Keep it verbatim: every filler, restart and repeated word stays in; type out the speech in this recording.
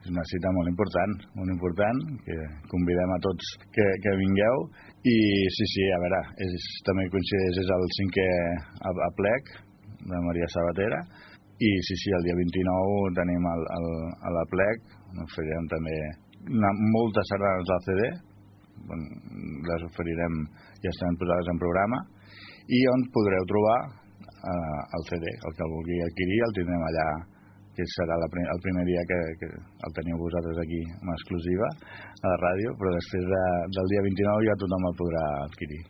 és una cita molt important, molt important, que convidem a tots que, que vingueu. I sí, sí, a veure, és, també coincideix, és el cinquè aplec de Maria Sabatera, i sí, sí, el dia vint-i-nou tenim el, el, a l'aplec, oferirem també una, moltes sardanes del C D, les oferirem, ja estan posades en programa, i on podreu trobar eh, el C D, el que el vulgui adquirir el tindrem allà, que serà la, el primer dia que, que el teniu vosaltres aquí en exclusiva a la ràdio, però després de, del dia vint-i-nou ja tothom el podrà adquirir.